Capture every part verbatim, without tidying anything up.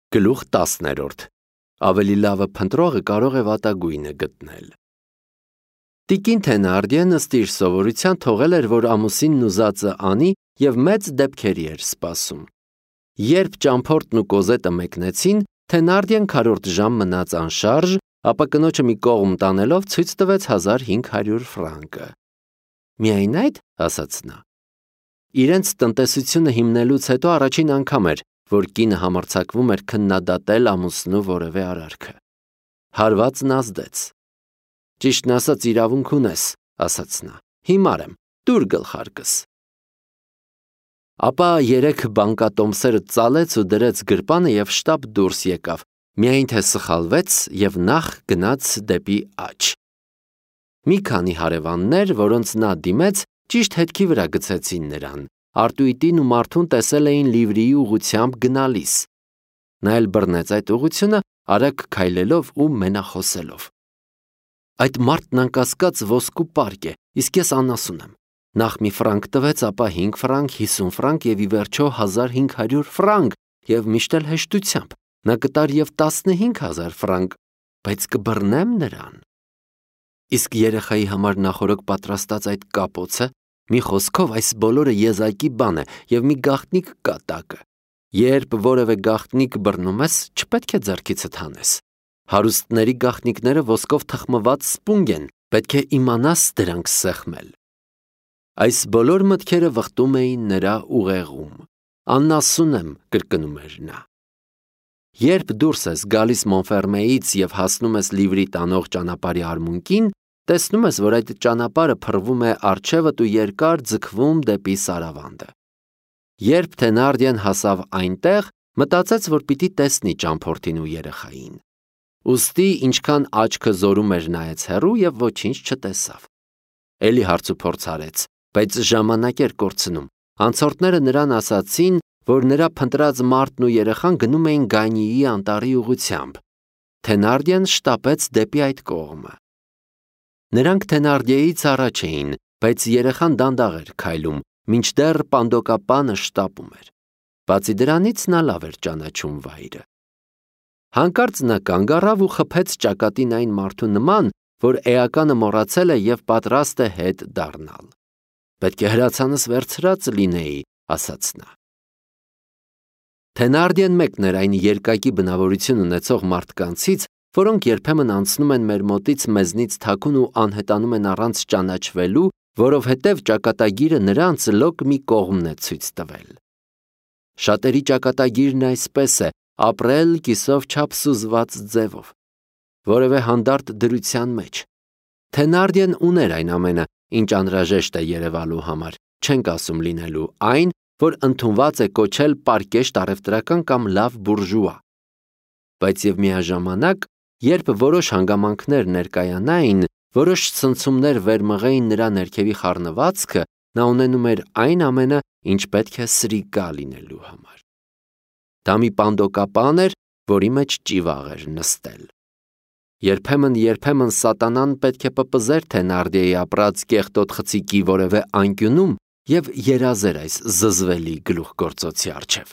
Գլուխ տասներորդ. Ավելի լավը փնտրողը կարող է վատագույնը գտնել։ Տիկին Թենարդիեն ըստ իր սովորության թողել էր, որ ամուսինն ուզածը անի և մեծ դեպքերի էր սպասում։ Երբ ճամփորդն ու Կոզետը մեկնեցին, Թենարդիեն քառորդ ժամ մնաց անշարժ, ապա կնոջը մի կողմ տանելով ցույց տվեց հազար հինգ հարյուր ֆրանկը։ Միայն այդ, ասաց նա։ Իրենց տնտեսությունը հիմնելուց հետո առաջին անգամ էր, որ կինը համարձակվում էր քննադատել ամուսնու որևէ արարքը։ Հարվածն ազդեց։ Ճիշտն ասած իրավունք ունես, ասաց նա, հիմար եմ, տուր գլխարկս։ Ապա երեք բանկատոմսերը ծալեց ու դրեց գրպանը և շտապ դուրս եկավ, միայն թե սխալվեց և նախ գնաց դեպի աջ։ Մի քանի հարևաններ, որոնց նա դիմեց, ճիշտ հետքի վրա գցեցին նրան, արտույտին ու մարդուն տեսել էին Լիվրիի ուղղությամբ գնալիս։ Նա էլ բռնեց այդ ուղղությունը, արագ քայլելով ու մենախոսելով։ Այդ մարդն անկասկած ոսկու պարկ է, իսկ ես անասուն եմ։ Նախ մի ֆրանկ տվեց, ապա հինգ ֆրանկ, հիսուն ֆրանկ և ի վերջո հազար հինգ հարյուր ֆրանկ, և միշտ էլ հեշտությամբ։ Նա կտար և տասնհինգ հազար ֆրանկ, բայց կբռնեմ նրան։ Իսկ երեխայի համար նախօրոք պատրաստած այդ կապոցը, մի խոսքով այս բոլորը եզակի բան է և մի գաղտնիք կա տակը։ Երբ որևէ գաղտնիք բռնում ես, չպետք է ձեռքիցդ հանես։ Հարուստների գաղտնիքները ոսկով թխմված սպունգ են, պետք է իմանաս դրանք սեղմել։ Այս բոլոր մտքերը վխտում էին նրա ուղեղում։ Անասուն եմ, կրկնում էր նա։ Երբ դուրս ես գալիս Մոնֆերմեից և հասնում ես Լիվրի տանող ճանապարհի արմունկին, տեսնում ես, որ այդ ճանապարհը փռվում է առջևդ ու երկար ձգվում դեպի Սարավանդը։ Երբ Թենարդիեն հասավ այնտեղ, մտածեց, որ պիտի տեսնի ճամփորդին ու երեխային։ Ուստի ինչքան աչքը զորում էր նայեց հեռու և ոչինչ չտեսավ։ Էլի հարցուփորձ արեց, բայց ժամանակ էր կորցնում։ Անցորդները նրան ասացին, որ նրա փնտրած մարդն ու երեխան գնում էին Գանյիի անտառի ուղղությամբ։ Թենարդիեն շտապեց դեպի այդ կողմը։ Նրանք Թենարդիեից առաջ էին, բայց երեխան դանդաղ էր քայլում, մինչդեռ պանդոկապանը շտապում էր։ Բացի դրանից նա լավ էր ճանաչում վայրը։ Հանկարծ նա կանգ առավ ու խփեց ճակատին այն մարդու նման, որ էականը մոռացել է և պատրաստ է հետ դառնալ։ Պետք է հրացանս վերցրած լինեի, ասաց նա։ Թենարդիեն մեկն էր այն երկակի բնավորություն ունեցող մարդկանցից, որոնք երբեմն անցնում են մեր մոտից մեզնից թաքուն ու անհետանում են առանց ճանաչվելու, որովհետև ճակատագիրը նրանց լոկ մի կողմն է ցույց տվել։ Շատերի ճակատագիրն այսպես է՝ ապրել կիսով չափ սուզված ձևով, որևէ հանդարտ դրության մեջ։ Թենարդիեն ուներ այն ամենը, ինչ անհրաժեշտ է երևալու համար, չենք ասում լինելու այն, որ ընդունված է կոչել պարկեշտ առևտրական կամ լավ բուրժուա։ Բայց և միաժամանակ, երբ որոշ հանգամանքներ ներկայանային, որոշ ցնցումներ վերմղեին նրա ներքևի խառնվածքը, նա ունենում էր այն ամենը, ինչ պետք է սրիկա լինելու համար։ Դա մի պանդոկապան էր, որի մեջ ճիվաղ էր նստել։ Երբեմն-երբեմն սատանան պետք է պպզեր Թենարդիեի ապրած կեղտոտ խցիկի որևէ անկյունում և երազեր այս զզվելի գլուխգործոցի առջև։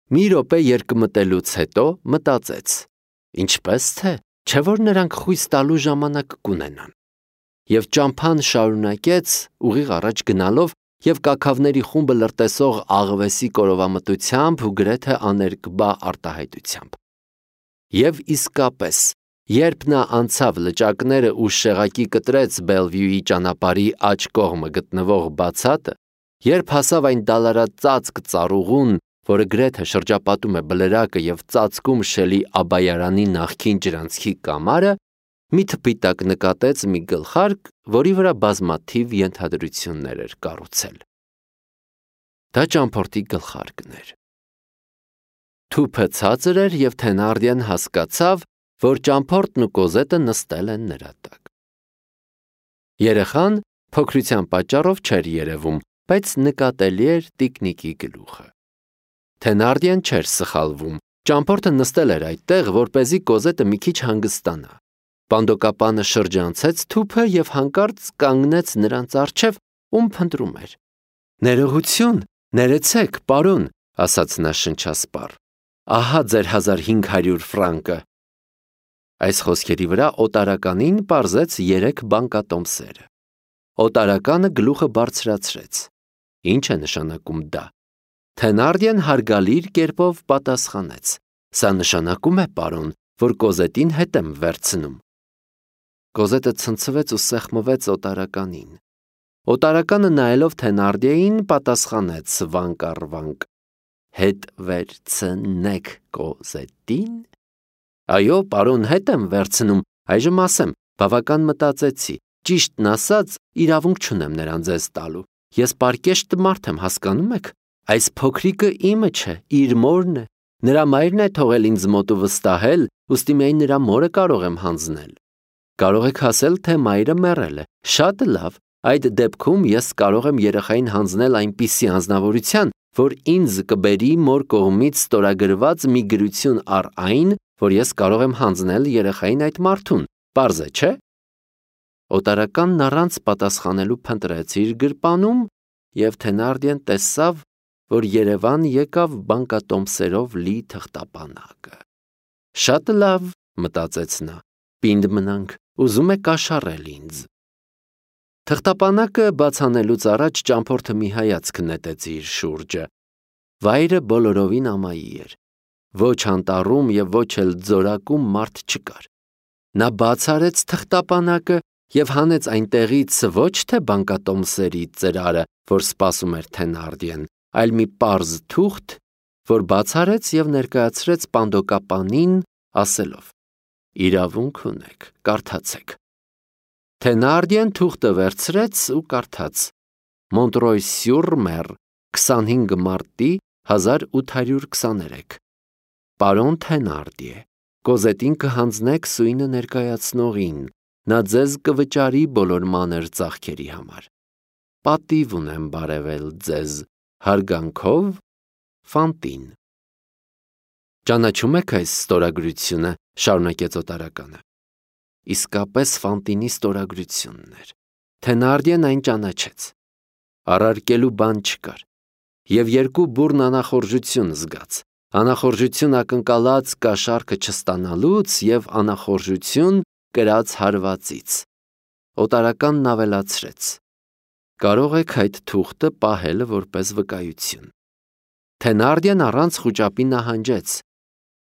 Մի րոպե երկմտելուց հետո մտածեց. ինչպես թե, չէ՞ որ նրանք խույս տալու ժամանակ կունենան։ Եվ ճամփան շարունակեց ուղիղ առաջ գնալով և կաքավների խումբը լրտեսող աղվեսի կորովամտությամբ ու գրեթե աներկբա արտահայտությամբ։ Եվ իսկապես, երբ նա անցավ լճակները ու շեղակի կտրեց Բելվյուի ճանապարհի աջ կողմը գտնվող բացատը, երբ հասավ այն դալարածածկ ծառուղուն, որը գրեթե շրջապատում է բլրակը և ծածկում Շելի Աբայարանի նախկին ջրանցքի կամարը, մի թփի տակ նկատեց մի գլխարկ, որի վրա բազմաթիվ ենթադրություններ էր կառուցել։ Դա ճամփորդի գլխարկն էր։ Թուփը ցածր էր և Թենարդիեն հասկացավ, որ ճամփորդն ու Կոզետը նստել են նրա տակ։ Երեխան փոքրության պատճառով չէր երևում, բայց նկատելի էր տիկնիկի գլուխը։ Թենարդիեն չէր սխալվում, ճամփորդը նստել էր այդտեղ, որպեսզի Կոզետը մի քիչ հանգստանա։ Պանդոկապանը շրջանցեց թուփը և հանկարծ կանգնեց նրանց առջև, ում փնտրում էր։ Ներողություն, ներեցեք, պարոն, ասաց նա շնչասպառ։ ահա ձեր հազար հինգ հարյուր ֆրանկը։ Այս խոսքերի վրա օտարականին պարզեց երեք բանկատոմսերը։ Օտարականը գլուխը բարձրացրեց։ Ինչ է նշանակում դա։ Թենարդիեն հարգալիր կերպով պատասխանեց. Սա նշանակում է, պարոն, որ Կոզետին հետ եմ վերցնում։ Կոզետը ցնցվեց ու սեղմվեց օտարականին։ Օտարականը նայելով Թենարդիեին պատասխանեց վանկառվանկ. Հետ վերցնեք Կոզետին։ Այո, պարոն, հետ եմ վերցնում, այժմ ասեմ, բավական մտածեցի, ճիշտն ասած, իրավունք չունեմ նրան ձեզ տալու։ Ես պարկեշտ մարդ եմ, հասկանում եք։ Այս փոքրիկը իմը չէ, իր մորն է։ Նրա մայրն է թողել ինձ մոտ ու վստահել, ուստի միայն նրա մորը կարող եմ հանձնել։ Կարող եք ասել, թե մայրը մեռել է։ Շատ լավ, այդ դեպքում ես կարող եմ երեխային հանձնել այնպիսի անձնավորության, որ ինձ կբերի մոր կողմից ստորագրված մի գրություն առ այն, որ ես կարող եմ հանձնել երեխային այդ մարդուն։ Պարզ է, չէ՞։ Օտարականն առանց պատասխանելու փնտրեց իր գրպանում, և Թենարդիեն տեսավ, որ Երևան եկավ բանկատոմսերով լի թղթապանակը։ Շատ լավ, մտածեց նա, պինդ մնանք, ուզում է կաշառել ինձ։ Թղթապանակը բացանելուց առաջ ճամփորդը մի հայացք նետեց իր շուրջը։ Վայրը բոլորովին ամայի էր։ Ոչ անտառում և ոչ էլ ձորակում մարդ չկար։ Նա բաց արեց թղթապանակը և հանեց այնտեղից ոչ թե բանկատոմսերի ծրարը, որ սպասում էր Թենարդիեն, այլ մի պարզ թուղթ, որ բաց արեց և ներկայացրեց պանդոկապանին, ասելով. Իրավունք ունեք, կարդացեք։ Թենարդիեն թուղթը վերցրեց ու կարդաց. Մոնտրոյ-սյուր-Մեր, քսանհինգ մարտի հազար ութ հարյուր քսաներեք։ Պարոն Թենարդիե, Կոզետին կհանձնեք սույնը ներկայացնողին, նա ձեզ կվճարի բոլոր մանր ծախքերի համար։ Պատիվ ունեմ բարևել ձեզ, հարգանքով, Ֆանտին։ Ճանաչում եք այս ստորագրությունը, շարունակեց օտարականը։ Իսկապես Ֆանտինի ստորագրությունն էր։ Թենարդիեն այն ճանաչեց։ Առարկելու բան չկար։ Եվ երկու բուռն անախորժություն զգաց։ Անախորժություն ակնկալած կաշառքը չստանալուց և անախորժություն կրած հարվածից։ Օտարականն ավելացրեց. Կարող եք այդ թուղթը պահել որպես վկայություն։ Թենարդիեն առանց խուճապի նահանջեց։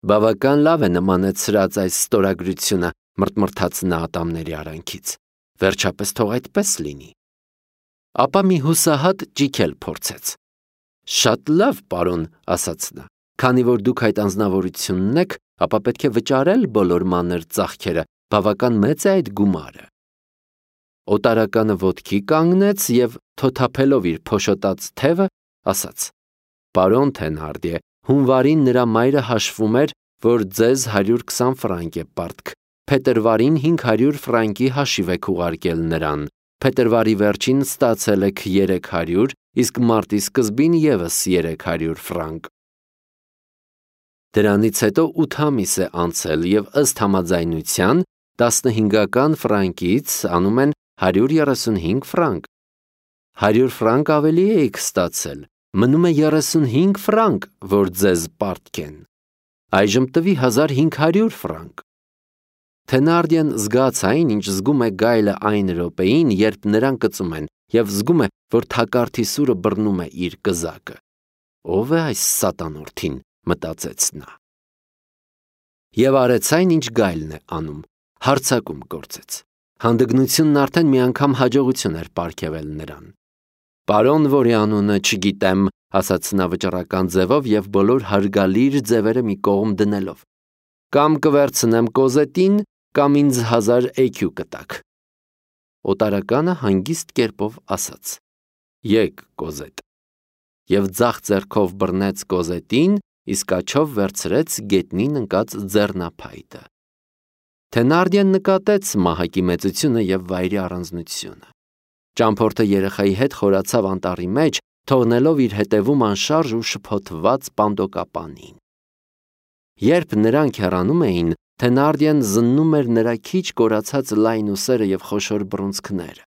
Բավական լավ է նմանեցրած այս ստորագրությունը, մրթմրթաց նա ատամների արանքից։ Վերջապես թող այդպես լինի։ Ապա մի հուսահատ ճիք էլ փորձեց։ Շատ լավ, պարոն, ասաց նա, քանի որ դուք այդ անձնավորությունն եք, ապա պետք է վճարել բոլոր մանր ծախքերը, բավական մեծ է այդ գումարը։ Օտարականը ոտքի կանգնեց և թոթափելով իր փոշոտած թևը, ասաց. Պարոն Թենարդիե, հունվարին նրա մայրը հաշվում էր, որ ձեզ հարյուր քսան ֆրանկ է պարտք, փետրվարին հինգ հարյուր ֆրանկի հաշիվ եք ուղարկել նրան, փետրվարի վերջին ստացել եք երեք հարյուր, իսկ մարտի սկզբին ևս երեք հարյուր ֆրանկ։ Դրանից հետո ութ ամիս է անցել և ըստ համաձայնության տասնհինգական ֆրանկից անում են հարյուր երեսունհինգ ֆրանկ։ Հարյուր ֆրանկ ավելի էիք ստացել, մնում է երեսունհինգ ֆրանկ, որ ձեզ պարտք են։ Այժմ տվի հազար հինգ հարյուր ֆրանկ։ Թենարդիեն զգաց այն, ինչ զգում է գայլը այն րոպեին, երբ նրան կծում են, և զգում է, որ թակարդի սուրը բռնում է իր կզակը։ Ո՞վ է այս սատանորդին, մտածեց նա։ Եվ արեց այն, ինչ գայլն է անում, հարձակում գործեց։ Հանդգնությունն արդեն մի անգամ հաջողություն էր պարգևել նրան։ Պարոն, որի անունը չգիտեմ, ասաց նա վճռական ձևով և բոլոր հարգալիր ձևերը մի կողմ դնելով։ Կամ կվերցնեմ Կոզետին, կամ ինձ հազար էքյու կտաք։ Օտարականը հանգիստ կերպով ասաց. Եկ, Կոզետ։ Եվ ձախ ձեռքով բռնեց Կոզետին, իսկ աջով վերցրեց գետնին ընկած ձեռնափայտը։ Թենարդիեն նկատեց մահակի մեծությունը և վայրի առանձնությունը։ Ճամփորդը երեխայի հետ խորացավ անտառի մեջ, թողնելով իր հետևում անշարժ ու շփոթված պանդոկապանին։ Երբ նրանք հեռանում էին, Թենարդիեն զննում էր նրա քիչ կորացած լայն ուսերը և խոշոր բռունցքները։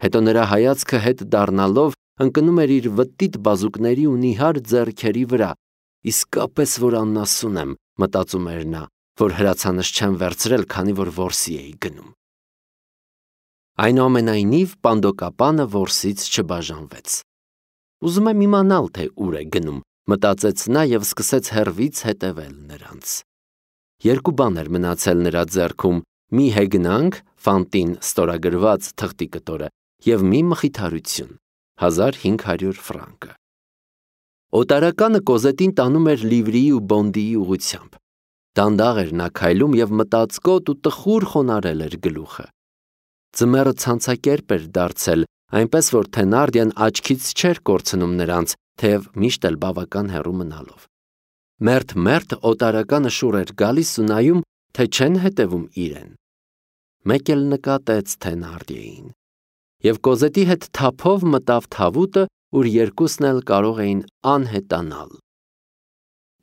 Հետո նրա հայացքը հետ դառնալով ընկնում էր իր վտիտ բազուկների ու նիհար ձեռքերի վրա, իսկապես որ աննասուն եմ, մտածում էր նա, որ հրացանս չեմ վերցրել, քանի որ որսի էի գնում։ Այնուամենայնիվ պանդոկապանը որսից չբաժանվեց։ Ուզում եմ իմանալ, թե ուր է գնում, մտածեց նա և սկսեց հեռվից հետևել նրանց։ Երկու բան էր մնացել նրա ձեռքում՝ մի հեգնանք, ֆանտին ստորագրված թղթի կտորը և մի մխիթարություն՝ հազար հինգ հարյուր ֆրանկը։ Օտարականը Կոզետին տանում էր Լիվրիի ու Բոնդիի ուղղությամբ։ Դանդաղ էր նա քայլում և մտածկոտ ու տխուր խոնարհել էր գլուխը։ Ձմեռը ցանցակերպ էր դարձել, այնպես որ Թենարդիան աչքից չէր կորցնում նրանց, թեև միշտ էլ բավական հեռու մնալով։ Մերթ-մերթ օտարականը շուռ էր գալիս ու նայում, թե չեն հետևում իրեն։ Մեկ էլ նկատեց Թենարդիեին և Կոզետի հետ թափով մտավ թավուտը, ուր երկուսն էլ կարող էին անհետանալ։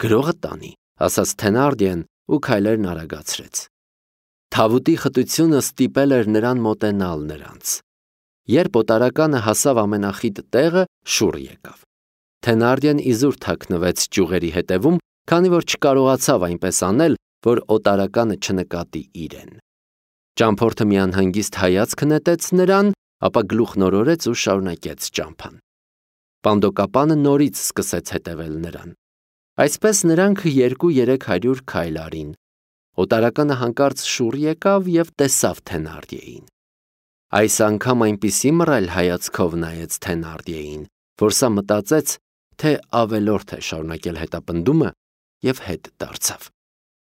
«Գրողը տանի», ասաց Թենարդիեն ու քայլերն արագացրեց։ Թավուտի խտությունը ստիպել էր նրան մոտենալ նրանց։ Երբ օտարականը հասավ ամենախիտ տեղը, շուռ եկավ։ Թենարդիան իզուր թաքնվեց ճյուղերի հետևում, քանի որ չկարողացավ այնպես անել, որ օտարականը չնկատի իրեն։ Ճամփորդը մի անհանգիստ հայացք նետեց նրան, ապա գլուխնորորեց ու շարունակեց ճամփան։ Պանդոկապանը նորից սկսեց հետևել նրան։ Այսպես նրանք երկու-երեք հարյուր քայլ արին։ Օտարականը հանկարծ շուռ եկավ և տեսավ Թենարդիեին։ Այս անգամ այնպիսի մռայլ հայացքով նայեց Թենարդիեին, որ սա մտածեց, թե ավելորդ է շարունակել հետապնդումը և հետ դարձավ։